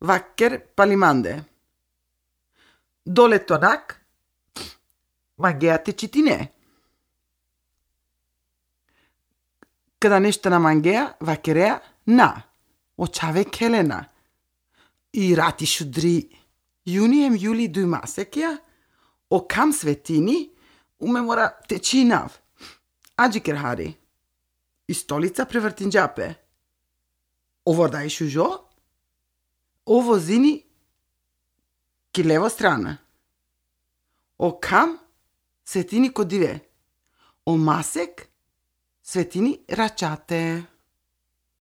vacker palimande. Dole tonak, magheate citine. Kada nešto na mangea, vakerea, na. Očave kelena. I rati šudri. Junijem juli du masekja, o kam svetini, umemora tečinav. Ađiker hari. I stolica prevrtin džape. Ovo daj šužo? Ovo zini ki levo strana. O kam svetini kodive. O masek svetini račate.